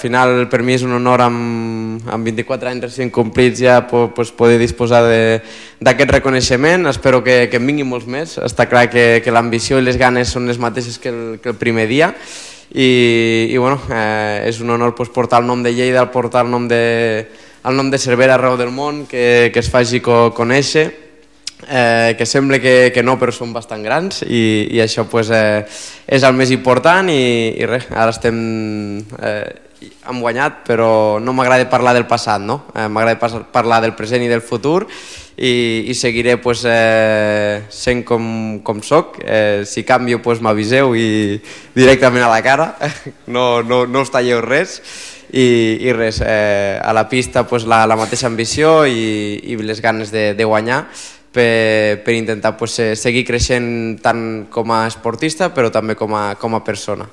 final per mi és un honor amb 24 anys recent complits ja poder disposar d'aquest reconeixement. Espero que en vinguin molts més. Està clar que l'ambició i les ganes són les mateixes que el primer dia i bueno, és un honor portar el nom de Lleida, portar el nom de Cervera arreu del món, que es faci conèixer, que sembla que no, però són bastant grans i això és el més important i res, ara hem guanyat, però no m'agrada parlar del passat, no? M'agrada parlar del present i del futur i seguiré sent com soc. Si canvio m'aviseu i directament a la cara, no us talleu res i res, a la pista la mateixa ambició i les ganes de guanyar per intentar seguir creixent tant com a esportista però també com a persona.